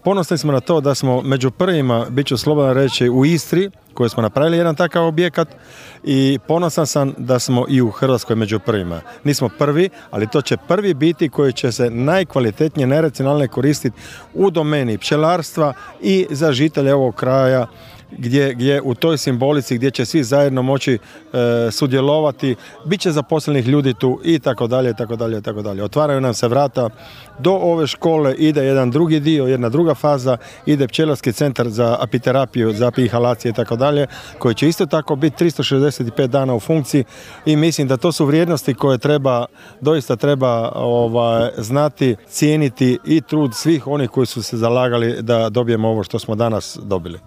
Ponosni smo na to da smo među prvima, bit ću slobodan reći, u Istri, koji smo napravili jedan takav objekat, i ponosan sam da smo i u Hrvatskoj među prvima. Nismo prvi, ali to će prvi biti koji će se najkvalitetnije, najracionalnije koristiti u domeni pčelarstva i za žitelje ovog kraja, gdje u toj simbolici gdje će svi zajedno moći sudjelovati, bit će zaposlenih ljudi tu i tako dalje, tako dalje, tako dalje. Otvaraju nam se vrata. Do ove škole ide jedan drugi dio, jedna druga faza, ide pčelarski centar za apiterapiju, za apihalacije i tako dalje, koji će isto tako biti 365 dana u funkciji, i mislim da to su vrijednosti koje doista treba znati, cijeniti, i trud svih onih koji su se zalagali da dobijemo ovo što smo danas dobili.